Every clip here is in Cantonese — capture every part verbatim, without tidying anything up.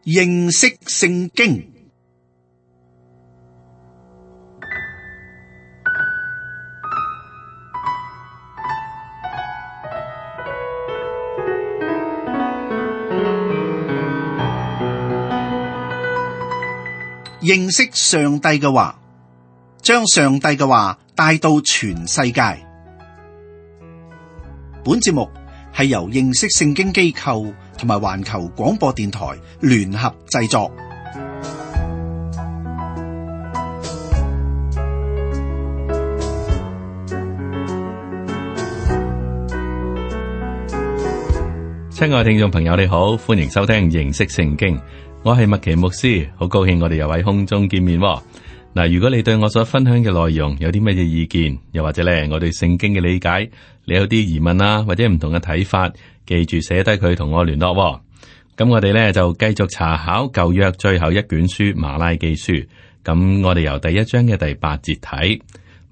認識聖經。認識上帝嘅話，將上帝嘅話帶到全世界。本節目係由認識聖經機構同埋環球廣播電台聯合製作。親愛聽眾朋友，你好，歡迎收聽認識聖經。我係麥奇牧師，好高興我哋又喺空中見面。嗱，如果你對我所分享嘅內容有啲乜嘢意見，又或者咧我對聖經嘅理解，你有啲疑問啊，或者唔同嘅睇法，記住寫低佢同我聯絡。咁我哋咧就繼續查考舊約最後一卷書馬拉基書。咁我哋由第一章嘅第八節睇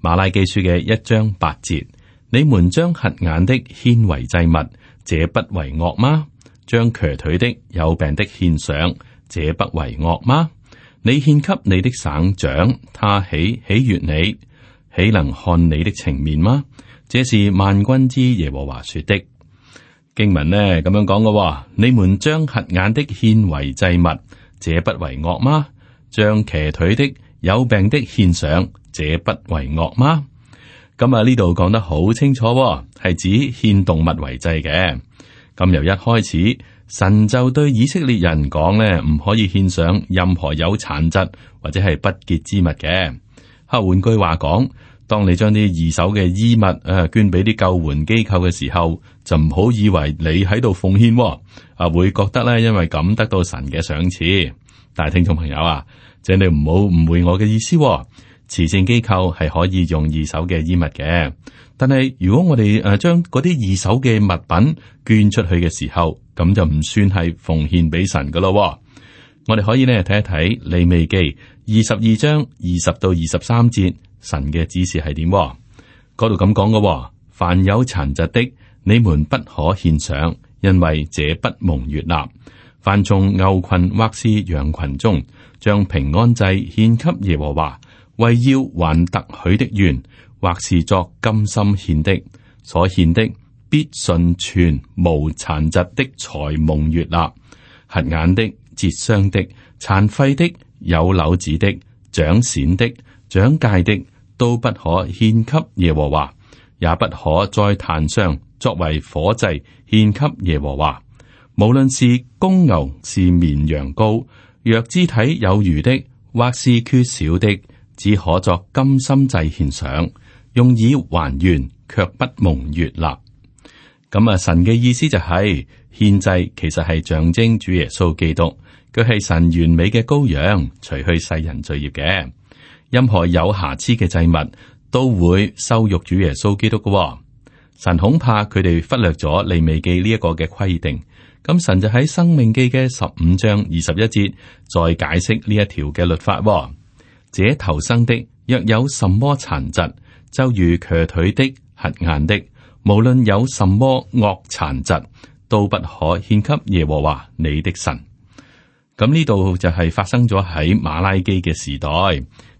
馬拉基書嘅一章八節：你們將瞎眼的獻為祭物，這不為惡嗎？將瘸腿的、有病的獻上，這不為惡嗎？你獻給你的省長，他豈喜悅你？豈能看你的情面嗎？這是萬軍之耶和華說的。經文呢咁樣講嘅，你們將瞎眼的獻為祭物，這不為惡嗎？將瘸腿的、有病的獻上，這不為惡嗎？咁啊呢度講得好清楚，係指獻動物為祭嘅。咁由一開始，神就對以色列人講咧，唔可以獻上任何有殘疾或者係不潔之物嘅。吓，換句話講，當你將啲二手嘅衣物誒捐俾啲救援機構嘅時候，就唔好以為你喺度奉獻，啊會覺得咧因為咁得到神嘅賞賜。但係聽眾朋友啊，請你唔好誤會我嘅意思。慈善機構係可以用二手嘅衣物嘅，但係如果我哋誒將嗰啲二手嘅物品捐出去嘅時候，咁就唔算係奉獻俾神噶咯。我哋可以呢睇一睇利未記二十二章二十到二十三節，神嘅指示係點？嗰度咁講嘅，凡有殘疾的，你們不可獻上，因為這不蒙悅納。凡從牛群或是羊群中，將平安祭獻給耶和華，為要還特許的願，或是作甘心獻的，所獻的必純全無殘疾的才蒙悅納。瞎眼的、折傷的、殘廢的、有瘤子的、長癬的、長疥的，都不可獻給耶和華，也不可在壇上作為火祭獻給耶和華。無論是公牛是綿羊羔，若肢體有餘的，或是缺少的，只可作甘心祭獻上，用以還願，卻不蒙悅納。咁啊，神嘅意思就係獻祭其實係象徵主耶穌基督，佢係神完美嘅羔羊，除去世人罪孽嘅。任何有瑕疵嘅祭物都會羞辱主耶穌基督嘅。神恐怕佢哋忽略咗利未記呢一個嘅規定，咁神就喺申命記嘅十五章二十一節再解釋呢一條嘅律法。這頭生的若有什麼殘疾，就如瘸腿的、瞎眼的，無論有什麼惡殘疾，都不可獻給耶和華你的神。咁呢度就係發生咗喺馬拉基嘅時代，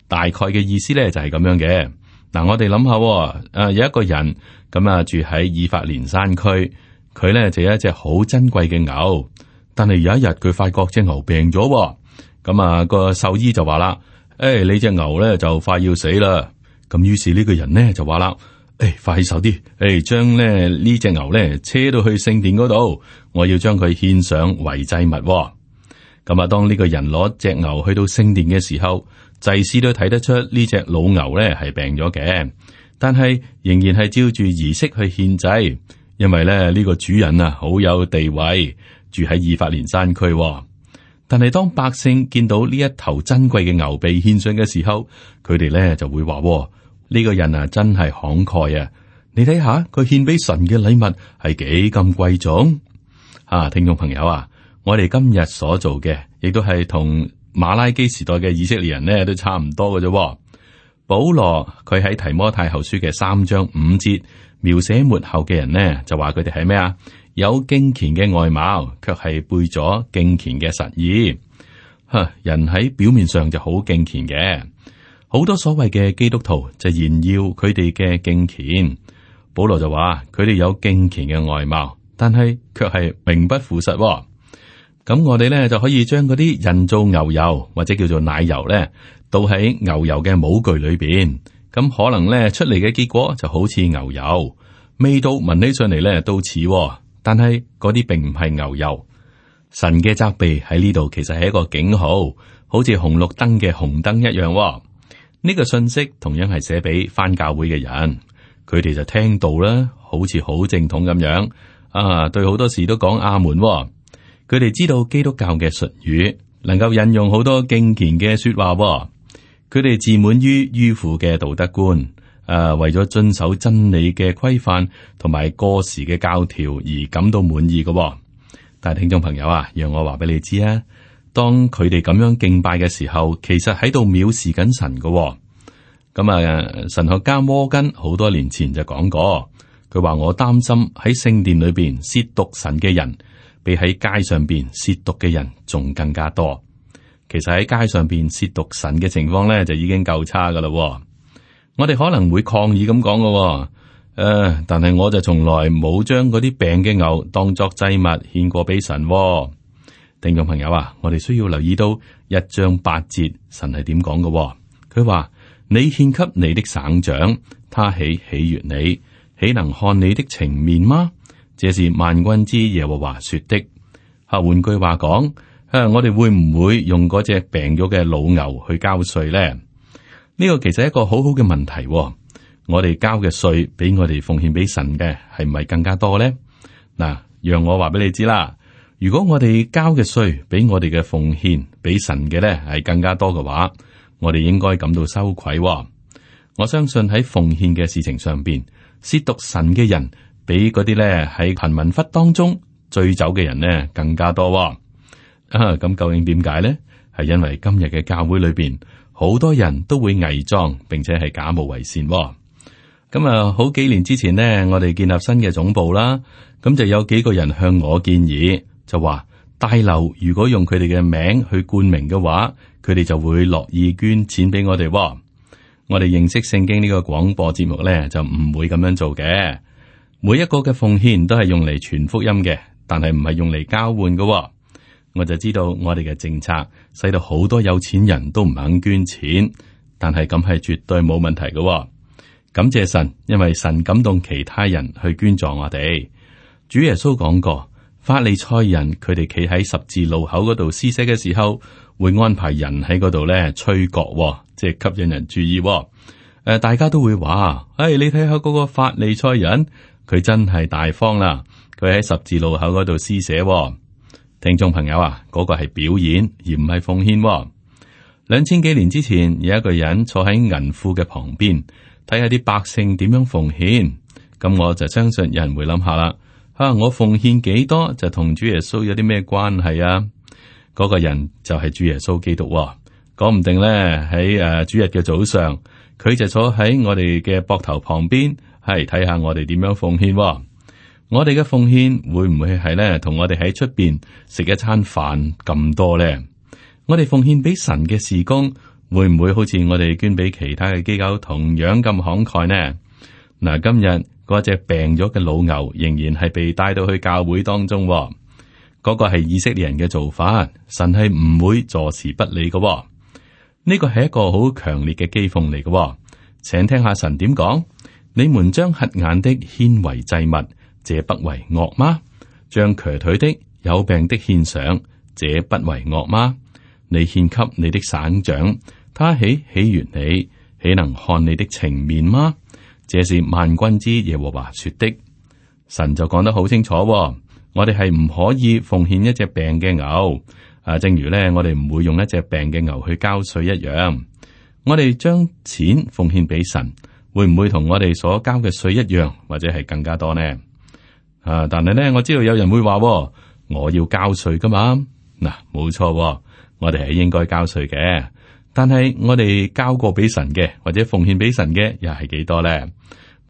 大概嘅意思咧就係咁樣嘅。嗱，我哋諗下，誒有一個人咁啊住喺以法蓮山區，佢咧就有一隻好珍貴嘅牛，但係有一日佢發覺隻牛病咗，咁啊個獸醫就話啦。誒、哎，你隻牛咧就快要死啦！咁於是呢個人呢就話啦：誒、哎，快手啲，誒、哎，將咧呢隻牛咧車到去聖殿嗰度，我要將佢獻上為祭物。咁啊，當呢個人攞隻牛去到聖殿嘅時候，祭司都睇得出呢隻老牛咧係病咗嘅，但係仍然係照住儀式去獻祭，因為咧呢、這個主人啊好有地位，住喺以法蓮山區。但係當百姓見到呢一頭珍貴嘅牛被獻上嘅時候，佢哋咧就會話：呢、這個人啊真係慷慨啊！你睇下佢獻俾神嘅禮物係幾咁貴重啊！聽眾朋友啊，我哋今日所做嘅，亦都係同馬拉基時代嘅以色列人呢都差唔多嘅啫。保羅佢喺提摩太後書嘅三章五節描寫末後嘅人呢，就話佢哋係咩啊？有敬虔嘅外貌，卻係背咗敬虔嘅實意。吓，人喺表面上就好敬虔嘅，好多所謂嘅基督徒就炫耀佢哋嘅敬虔。保羅就話佢哋有敬虔嘅外貌，但係卻係名不副實。咁我哋咧就可以將嗰啲人造牛油或者叫做奶油咧，倒喺牛油嘅模具裏邊，咁可能咧出嚟嘅結果就好似牛油，味道聞起上嚟咧都似，但係嗰啲並唔係牛油。神嘅責備喺呢度其實係一個警號，好似紅綠燈嘅紅燈一樣。呢個信息同樣係寫俾返教會嘅人，佢哋就聽到啦，好似好正統咁樣啊，對好多事都講阿門。佢哋知道基督教嘅術語，能夠引用好多敬虔嘅說話。佢哋自滿於迂腐嘅道德觀，誒，為咗遵守真理嘅規範同埋過時嘅教條而感到滿意嘅。但係聽眾朋友啊，讓我話俾你知啊，當佢哋咁樣敬拜嘅時候，其實喺度藐視緊神嘅。咁啊，神學家摩根好多年前就講過，佢話我擔心喺聖殿裏邊褻瀆神嘅人，比喺街上邊褻瀆嘅人仲更加多。其實喺街上邊褻瀆神嘅情況咧，就已經夠差噶啦。我哋可能會抗議咁講嘅，誒、呃，但係我就從來冇將嗰啲病嘅牛當作祭物獻過俾神。聽眾朋友啊，我哋需要留意到一章八節，神係點講嘅？佢話：你獻給你的省長，他豈喜悅你，豈能看你的情面嗎？這是萬軍之耶和華說的。吓，換句話講，誒，我哋會唔會用嗰隻病咗嘅老牛去交稅咧？呢個其實係一個好好嘅問題。我哋交嘅稅比我哋奉獻俾神嘅係唔係更加多咧？嗱，讓我話俾你知啦。如果我哋交嘅稅比我哋嘅奉獻俾神嘅咧係更加多嘅話，我哋應該感到羞愧。我相信喺奉獻嘅事情上邊，褻瀆神嘅人比嗰啲咧喺貧民窟當中醉酒嘅人呢更加多。啊，咁究竟點解咧？係因為今日嘅教會裏邊好多人都會偽裝，並且係假冒為善。咁啊，好幾年之前呢，我哋建立新嘅總部啦，咁就有幾個人向我建議，就話大樓如果用佢哋嘅名去冠名嘅話，佢哋就會樂意捐錢俾我哋。我哋認識聖經呢個廣播節目咧，就唔會咁樣做嘅。每一個嘅奉獻都係用嚟傳福音嘅，但係唔係用嚟交換嘅。我就知道我哋嘅政策使到好多有錢人都唔肯捐錢，但係咁係絕對冇問題嘅。感謝神，因為神感動其他人去捐助我哋。主耶穌講過，法利賽人佢哋企喺十字路口嗰度施捨嘅時候，會安排人喺嗰度咧吹角，即係吸引人注意。誒、呃，大家都會話：誒、哎，你睇下嗰個法利賽人，佢真係大方啦，佢喺十字路口嗰度施捨。聽眾朋友啊，嗰、那個係表演而唔係奉獻。兩千幾年之前，有一個人坐喺銀庫嘅旁邊，睇下啲百姓點樣奉獻。咁我就相信有人會諗下啦，吓、啊、我奉獻幾多就同主耶穌有啲咩關係啊？嗰、那個人就係主耶穌基督。講唔定咧喺誒主日嘅早上，佢就坐喺我哋嘅膊頭旁邊，係睇下我哋點樣奉獻。我哋嘅奉獻會唔會係咧同我哋喺出邊食一餐飯咁多咧？我哋奉獻俾神嘅事工，會唔會好似我哋捐俾其他嘅機構同樣咁慷慨呢？嗱，今日嗰隻病咗嘅老牛仍然係被帶到去教會當中，嗰、嗰個係以色列人嘅做法，神係唔會坐視不理嘅。呢個係一個好強烈嘅譏諷嚟嘅，請聽下神點講：你們將瞎眼的獻為祭物，這不為惡嗎？將瘸腿的、有病的獻上，這不為惡嗎？你獻給你的省長，他豈喜悅你，豈能看你的情面嗎？這是萬軍之耶和華說的。神就講得好清楚，我哋係唔可以奉獻一隻病嘅牛。啊，正如咧，我哋唔會用一隻病嘅牛去交稅一樣。我哋將錢奉獻俾神，會唔會同我哋所交嘅稅一樣，或者係更加多呢？啊，但係咧，我知道有人會話，我要交稅噶嘛。嗱、啊，冇錯，我哋係應該交稅嘅。但係我哋交過俾神嘅，或者奉獻俾神嘅，又係幾多咧？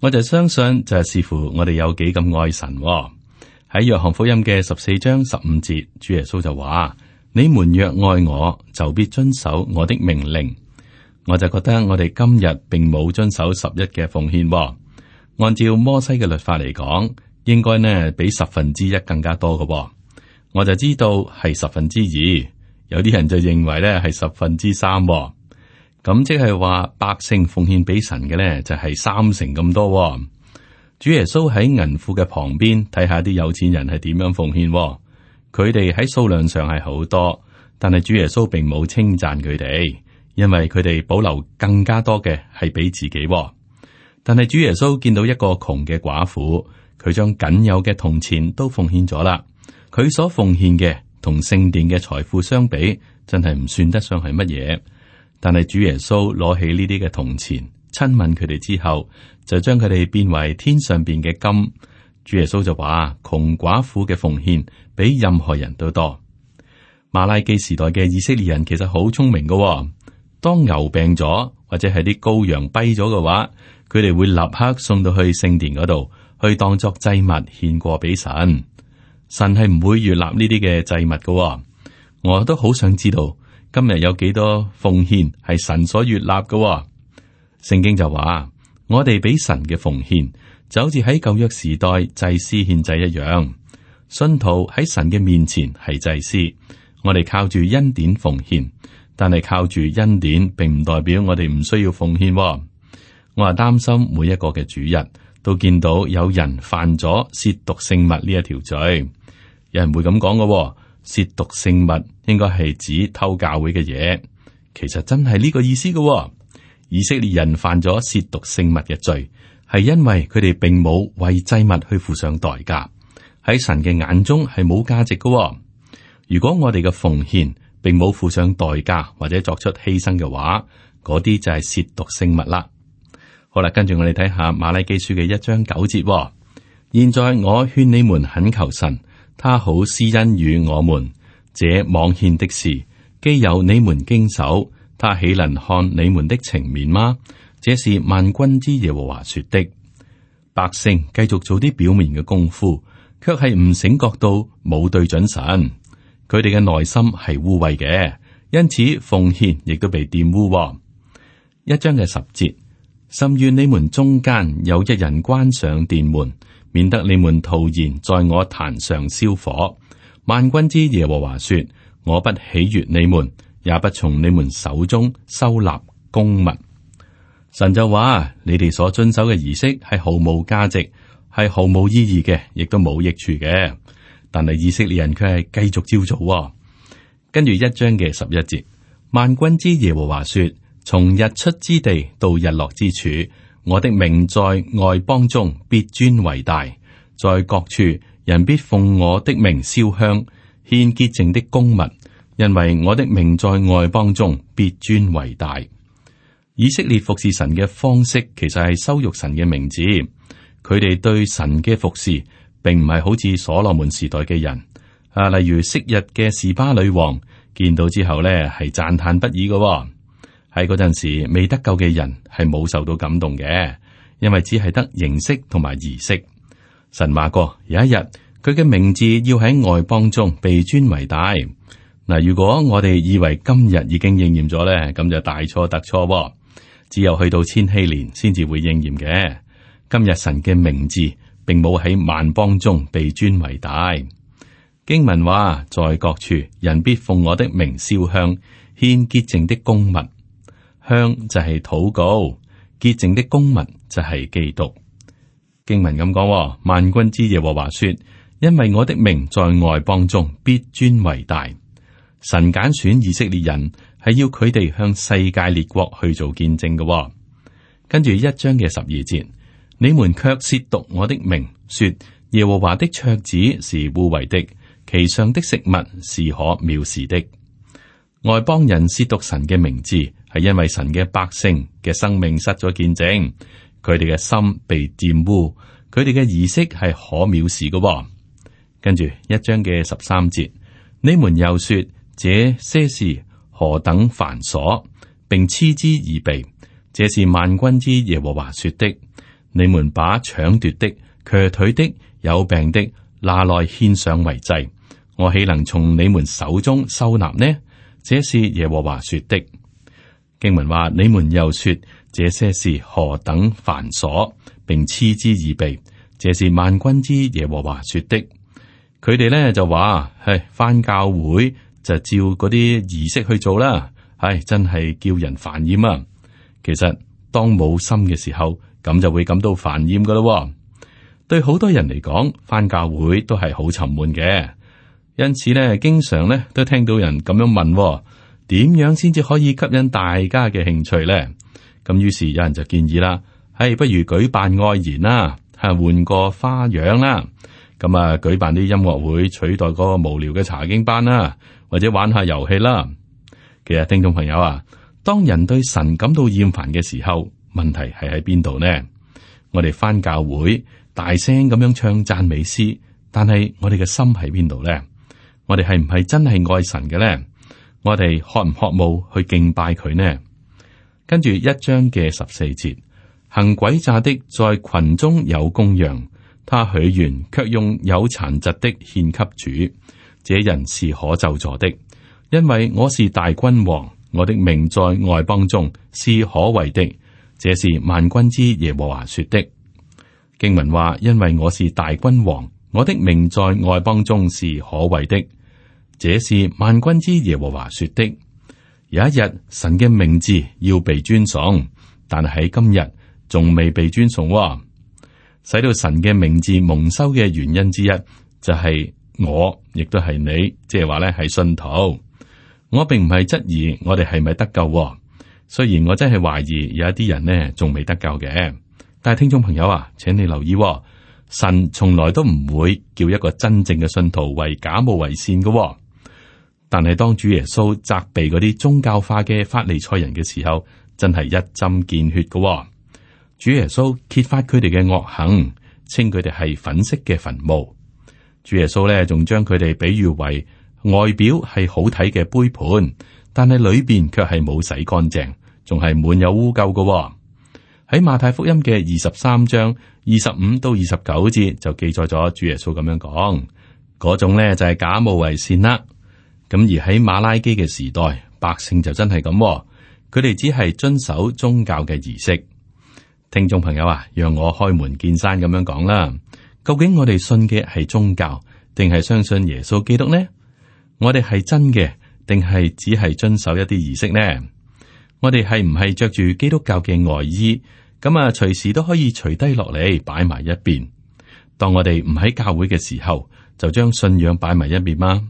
我就相信就係視乎我哋有幾咁愛神。喺約翰福音嘅十四章十五節，主耶穌就話：你們若愛我，就必遵守我的命令。我就覺得我哋今日並冇遵守十一嘅奉獻，哦。按照摩西嘅律法嚟講，應該呢比十分之一更加多嘅，哦。我就知道係十分之二，有啲人就認為呢係十分之三，哦。咁即係話百姓奉獻俾神嘅呢，就係三成咁多，哦。主耶穌喺銀庫嘅旁邊睇下啲有錢人係點樣奉獻，哦，佢哋喺數量上係好多，但係主耶穌並冇稱讚佢哋，因為佢哋保留更加多嘅係俾自己，哦。但係主耶穌見到一個窮嘅寡婦，佢將僅有嘅銅錢都奉獻咗啦。佢所奉獻嘅同聖殿嘅財富相比，真係唔算得上係乜嘢。但係主耶穌攞起呢啲嘅銅錢，親吻佢哋之後，就將佢哋變為天上邊嘅金。主耶穌就話：窮寡婦嘅奉獻比任何人都多。馬拉基時代嘅以色列人其實好聰明㗎喎，當牛病咗或者係啲羔羊跛咗嘅話，佢哋會立刻送到去聖殿嗰度，去當作祭物獻過俾神。神係唔會悅納呢啲嘅祭物㗎喎。我都好想知道今日有幾多奉獻係神所悅納㗎喎。聖經就話，我哋俾神嘅奉獻就好似喺舊約時代祭司獻祭一樣。信徒喺神嘅面前係祭司，我哋靠住恩典奉獻，但係靠住恩典並唔代表我哋唔需要奉獻喎。我係擔心每一個嘅主日都見到有人犯咗褻瀆聖物呢一條罪。有人會咁講嘅，褻瀆聖物應該係指偷教會嘅嘢，其實真係呢個意思嘅喎。以色列人犯咗褻瀆聖物嘅罪，係因為佢哋並冇為祭物去付上代價，喺神嘅眼中係冇價值嘅喎。如果我哋嘅奉獻並冇付上代價或者作出犧牲嘅話，嗰啲就係褻瀆聖物啦。好啦，跟住我哋睇下馬拉基書嘅一章九節喎。現在我勸你們懇求神，他好施恩與我們。這妄獻的事，既有你們經手，他豈能看你們的情面嗎？這是萬軍之耶和華說的。百姓繼續做啲表面嘅功夫，卻係唔醒覺到冇對準神。佢哋嘅內心係污穢嘅，因此奉獻亦都被玷污喎。一章嘅十節，甚願你們中間有一人關上殿門，免得你們徒然在我壇上燒火。萬軍之耶和華說：我不喜悅你們，也不從你們手中收納公物。神就話：你哋所遵守嘅儀式係毫無價值，係毫無意義嘅，亦都冇益處嘅。但係以色列人卻係繼續照做喎。跟住一章嘅十一節，萬軍之耶和華說：從日出之地到日落之處，我的名在外邦中必尊為大，在各處人必奉我的名燒香，獻潔淨的供物，因為我的名在外邦中必尊為大。以色列服侍神嘅方式，其實係羞辱神嘅名字。佢哋對神嘅服侍，並唔係好似所羅門時代嘅人啊，例如昔日嘅示巴女王，見到之後呢係讚嘆不已嘅喎。喺嗰陣時，未得救嘅人係冇受到感動嘅，因為只係得形式同埋儀式。神話過有一日，佢嘅名字要喺外邦中被尊為大。嗱，如果我哋以為今日已經應驗咗咧，咁就大錯特錯喎。只有去到千禧年先至會應驗嘅。今日神嘅名字並冇喺萬邦中被尊為大。經文話，在各處人必奉我的名燒香，獻潔淨的供物。香就係禱告，潔淨的供物就係基督。經文咁講，萬軍之耶和華說：因為我的名在外邦中必尊為大。神揀選以色列人係要佢哋向世界列國去做見證嘅。跟住一章嘅十二節，你們卻褻瀆我的名，說耶和華的桌子是污穢的，其上的食物是可藐視的。外邦人褻瀆神嘅名字，係因為神嘅百姓嘅生命失咗見證，佢哋嘅心被玷污，佢哋嘅儀式係可藐視嘅。跟住一章嘅十三節，你們又說這些事何等繁瑣，並嗤之以鼻，這是萬軍之耶和華說的。你們把搶奪的、瘸腿的、有病的、拿來獻上為祭，我豈能從你們手中收納呢？這是耶和華說的。經文話：你們又說這些事何等繁瑣，並嗤之以鼻。這是萬軍之耶和華說的。佢哋咧就話：係返教會就照嗰啲儀式去做啦。係真係叫人煩厭啊！其實當冇心嘅時候，咁就會感到煩厭噶咯。對好多人嚟講，返教會都係好沉悶嘅。因此咧，經常咧都聽到人咁樣問：點樣先至可以吸引大家嘅興趣咧？咁於是有人就建議啦，係不如舉辦愛筵啦，係換個花樣啦。咁啊，舉辦啲音樂會取代嗰個無聊嘅查經班啦，或者玩下遊戲啦。其實聽眾朋友啊，當人對神感到厭煩嘅時候，問題係喺邊度呢？我哋返教會大聲咁樣唱讚美詩，但係我哋嘅心喺邊度呢？我哋係唔係真係愛神嘅呢？我哋渴唔渴慕去敬拜佢呢？跟住一章嘅十四節，行詭詐的在群中有公羊，他許願卻用有殘疾的獻給主，這人是可咒詛的，因為我是大君王，我的名在外邦中是可畏的，這是萬軍之耶和華說的。經文話：因為我是大君王，我的名在外邦中是可畏的，這是萬軍之耶和華說的。有一日，神嘅名字要被尊崇，但係喺今日仲未被尊崇，哦。使到神嘅名字蒙羞嘅原因之一，就係、是、我，亦都係你，即係話咧係信徒。我並唔係質疑我哋係咪得救，哦，雖然我真係懷疑有一啲人呢仲未得救嘅。但係聽眾朋友啊，請你留意，哦，神從來都唔會叫一個真正嘅信徒為假冒為善嘅，哦。但係當主耶穌責備嗰啲宗教化嘅法利賽人嘅時候，真係一針見血嘅，哦。主耶穌揭發佢哋嘅惡行，稱佢哋係粉飾嘅墳墓。主耶穌咧仲將佢哋比喻為外表係好睇嘅杯盤，但係裏邊卻係冇洗乾淨，仲係滿有污垢嘅，哦。喺馬太福音嘅二十三章二十五到二十九節就記載咗主耶穌咁樣講，嗰種咧就係假冒為善啦。咁而喺馬拉基嘅時代，百姓就真係咁，佢哋只係遵守宗教嘅儀式。聽眾朋友啊，讓我開門見山咁樣講啦，究竟我哋信嘅係宗教，定係相信耶穌基督呢？我哋係真嘅，定係只係遵守一啲儀式呢？我哋係唔係着住基督教嘅外衣，咁啊隨時都可以除低落嚟擺埋一邊？當我哋唔喺教會嘅時候，就將信仰擺埋一邊嗎？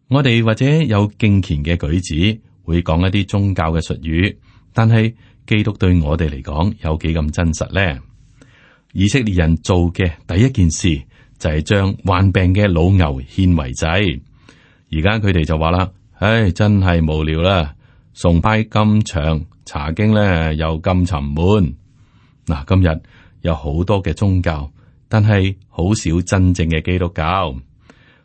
我哋或者有敬虔嘅舉止，會講一啲宗教嘅術語，但係基督對我哋嚟講有幾咁真實呢？以色列人做嘅第一件事就係將患病嘅老牛獻為祭。而家佢哋就話啦：唉，真係無聊啦，崇拜咁長，查經咧又咁沉悶。嗱，今日有好多嘅宗教，但係好少真正嘅基督教。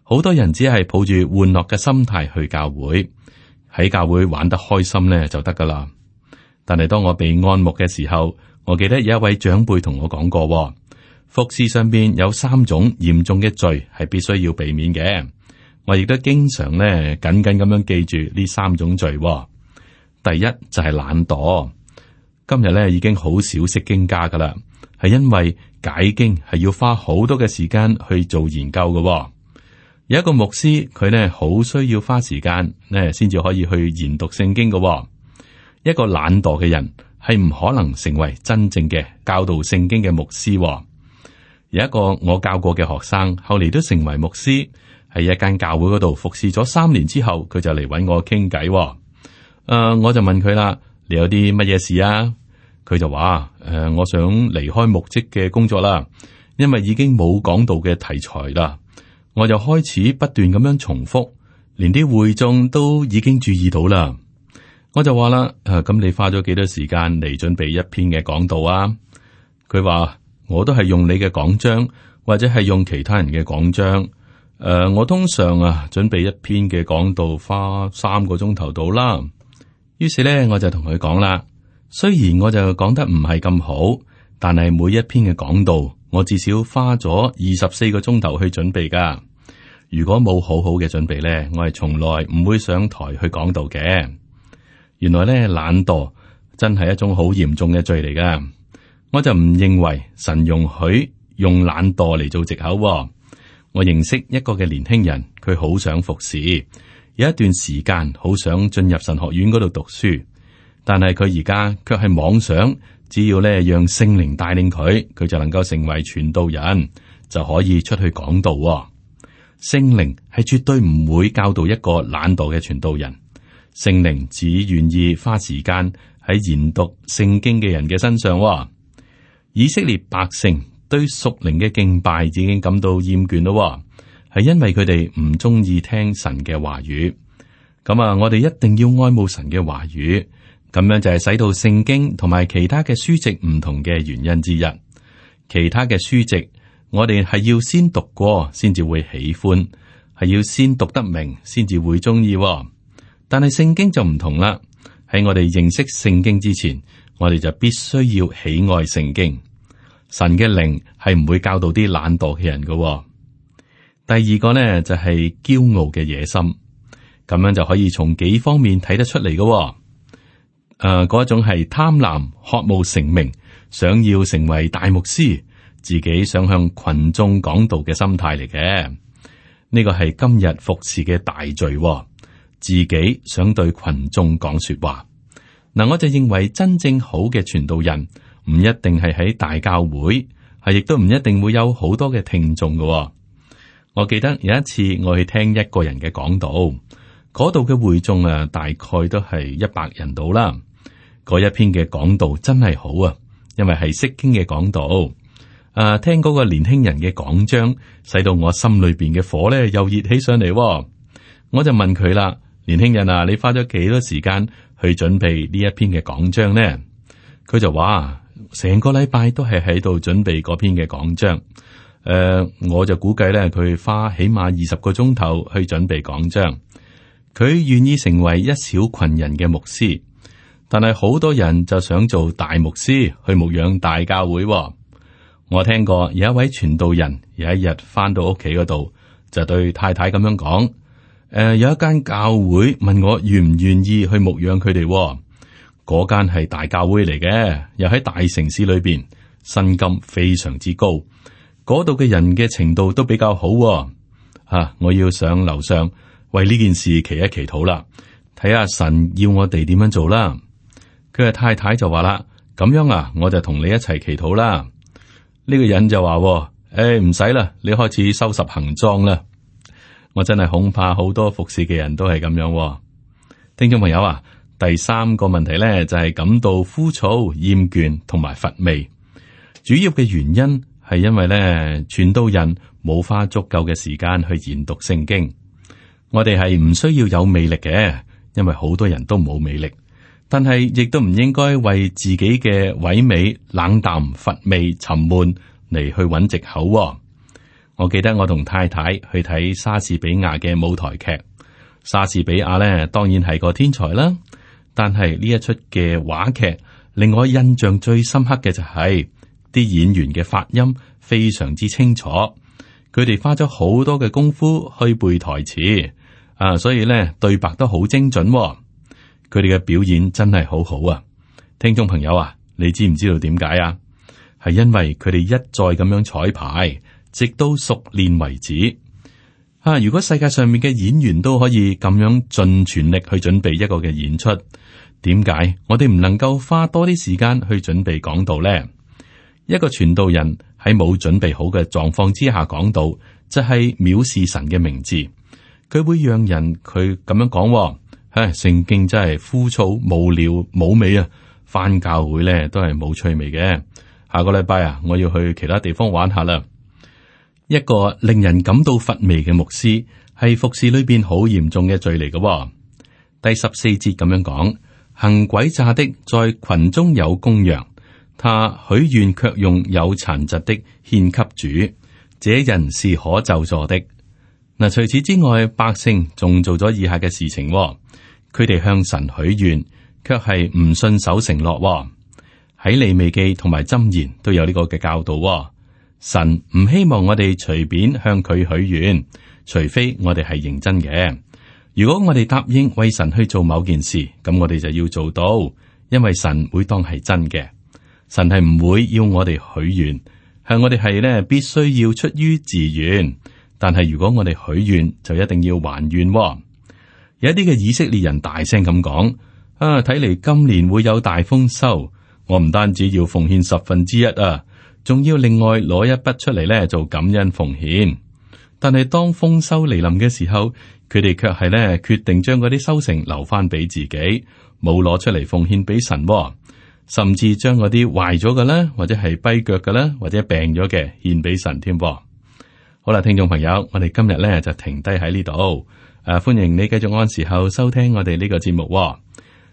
好多人只係抱住玩樂嘅心態去教會，喺教會玩得開心咧就得噶啦。但係當我被按牧嘅時候，我記得有一位長輩同我講過，服侍上邊有三種嚴重嘅罪係必須要避免嘅。我亦都經常咧緊緊咁樣記住呢三種罪。第一就係懶惰，今日咧已經好少釋經家噶啦，係因為解經係要花好多嘅時間去做研究嘅。有一個牧師，佢呢好需要花時間呢，先至可以去研讀聖經嘅。一個懶惰嘅人係唔可能成為真正嘅教導聖經嘅牧師。有一個我教過嘅學生，後嚟都成為牧師，喺一間教會嗰度服侍咗三年之後，佢就嚟揾我傾偈。誒、呃，我就問佢啦：你有啲乜嘢事啊？佢就話：誒、呃，我想離開牧職嘅工作啦，因為已經冇講道嘅題材啦。我就開始不斷咁樣重複，連啲會眾都已經注意到啦。我就話啦，誒、啊，咁你花咗幾多時間嚟準備一篇嘅講道啊？佢話我都係用你嘅講章，或者係用其他人嘅講章。誒、呃，我通常啊準備一篇嘅講道花三個鐘頭到啦。於是咧，我就同佢講啦，雖然我就講得唔係咁好，但係每一篇嘅講道我至少花咗二十四個鐘頭去準備噶。如果冇好好嘅準備呢，我係從來唔會上台去講道嘅。原來呢，懶惰真係一種好嚴重嘅罪嚟噶。我就唔認為神容許用懶惰嚟做藉口。我認識一個嘅年輕人，佢好想服侍，有一段時間好想進入神學院嗰度讀書，但係佢而家卻係妄想，只要咧讓聖靈帶領佢，佢就能夠成為傳道人，就可以出去講道。聖靈係絕對唔會教導一個懶惰嘅傳道人，聖靈只願意花時間喺研讀聖經嘅人嘅身上。以色列百姓對屬靈嘅敬拜已經感到厭倦咯，係因為佢哋唔中意聽神嘅話語。咁啊，我哋一定要愛慕神嘅話語，咁樣就係使到聖經同埋其他嘅書籍唔同嘅原因之一。其他嘅書籍，我哋係要先讀過，先至會喜歡，係要先讀得明，先至會中意。但係聖經就唔同啦，喺我哋認識聖經之前，我哋就必須要喜愛聖經。神嘅靈係唔會教導啲懶惰嘅人嘅。第二個呢，就係驕傲嘅野心，咁樣就可以從幾方面睇得出嚟嘅。誒、呃，嗰種係貪婪、渴慕成名、想要成為大牧師，自己想向群眾講道嘅心態嚟嘅。呢個係今日服侍嘅大罪，自己想對群眾講說話。嗱，我就認為真正好嘅傳道人唔一定係喺大教會，係亦都唔一定會有好多嘅聽眾嘅。我記得有一次我去聽一個人嘅講道，嗰度嘅會眾啊，大概都係一百人到啦。嗰一篇嘅講道真係好啊，因為係釋經嘅講道。誒、啊，聽嗰個年輕人嘅講章，使到我心裏邊嘅火咧又熱起上嚟。我就問佢啦，年輕人啊，你花咗幾多時間去準備呢一篇嘅講章呢？佢就話成個禮拜都係喺度準備嗰篇嘅講章。誒、呃，我就估計咧，佢花起碼二十個鐘頭去準備講章。佢願意成為一小群人嘅牧師，但係好多人就想做大牧師去牧養大教會。我聽過有一位傳道人有一日翻到屋企嗰度，就對太太咁樣講：誒、呃，有一間教會問我願唔願意去牧養佢哋。嗰間係大教會嚟嘅，又喺大城市裏邊，薪金非常之高，嗰度嘅人嘅程度都比較好。吓、啊，我要上樓上為呢件事祈一祈禱啦，睇下神要我哋點樣做啦。佢嘅太太就話啦：咁樣啊，我就同你一齊祈禱啦。呢個人就話：誒，唔使啦，你開始收拾行裝啦。我真係恐怕好多服侍嘅人都係咁樣。聽眾朋友啊，第三個問題咧就係感到枯燥、厭倦同埋乏味。主要嘅原因係因為咧，傳道人冇花足夠嘅時間去研讀聖經。我哋係唔需要有魅力嘅，因為好多人都冇魅力。但係亦都唔應該為自己嘅萎靡、冷淡、乏味、沉悶嚟去揾藉口。我記得我同太太去睇莎士比亞嘅舞台劇，莎士比亞咧當然係個天才啦。但係呢一出嘅話劇令我印象最深刻嘅就係、是、啲演員嘅發音非常之清楚，佢哋花咗好多嘅功夫去背台詞啊，所以咧對白都好精準。佢哋嘅表演真係好好啊！聽眾朋友啊，你知唔知道點解啊？係因為佢哋一再咁樣彩排，直到熟練為止。啊，如果世界上面嘅演員都可以咁樣盡全力去準備一個嘅演出，點解我哋唔能夠花多啲時間去準備講道呢？一個傳道人喺冇準備好嘅狀況之下講道，就係藐視神嘅名字。佢會讓人佢咁樣講。唉，聖經真係枯燥無聊冇味啊！返教會咧都係冇趣味嘅。下個禮拜啊，我要去其他地方玩下啦。一個令人感到乏味嘅牧師，係服侍裏邊好嚴重嘅罪嚟嘅。第十四節咁樣講：行詭詐的在群中有公羊，他許願卻用有殘疾的獻給主，這人是可咒詛的。嗱，除此之外，百姓仲做咗以下嘅事情。佢哋向神許願，卻係唔信守承諾。喺利未記同埋箴言都有呢個嘅教導。神唔希望我哋隨便向佢許願，除非我哋係認真嘅。如果我哋答應為神去做某件事，咁我哋就要做到，因為神會當係真嘅。神係唔會要我哋許願，向我哋係咧必須要出於自願。但係如果我哋許願，就一定要還願喎。有一啲嘅以色列人大聲咁講：啊，睇嚟今年會有大豐收，我唔單止要奉獻十分之一啊，仲要另外攞一筆出嚟咧做感恩奉獻。但係當豐收嚟臨嘅時候，佢哋卻係咧決定將嗰啲收成留翻俾自己，冇攞出嚟奉獻俾神喎，甚至將嗰啲壞咗嘅啦，或者係跛腳嘅啦，或者病咗嘅獻俾神添噃。好啦，聽眾朋友，我哋今日咧就停低喺呢度。誒、啊，歡迎你繼續按時候收聽我哋呢個節目喎。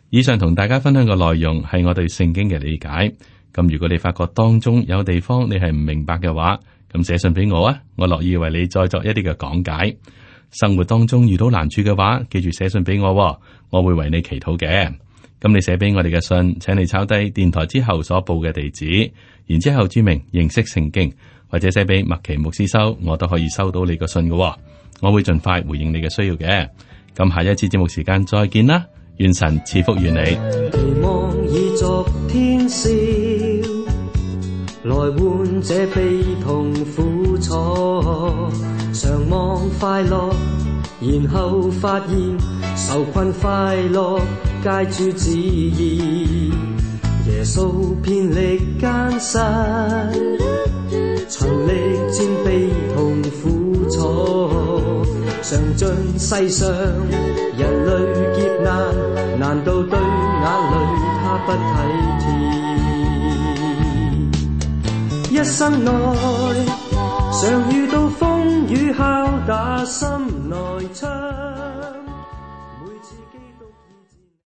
以上同大家分享嘅內容係我對聖經嘅理解。咁如果你發覺當中有地方你係唔明白嘅話，咁寫信俾我啊，我樂意為你再作一啲嘅講解。生活當中遇到難處嘅話，記住寫信俾我喎，我會為你祈禱嘅。咁你寫俾我哋嘅信，請你抄低電台之後所報嘅地址，然之後注明認識聖經，或者寫俾麥奇牧師收，我都可以收到你個信嘅喎。我會盡快回應你嘅需要嘅。咁下一次節目時間再見啦，願神賜福於你。期望以昨天笑，來換這悲痛苦楚，常望快樂，然後發現受困快樂皆主旨意。耶穌遍歷艱辛，曾歷戰悲痛苦楚，嘗盡世上人類劫難，難道對眼淚他不體貼？一生內常遇到風雨敲打心內窗。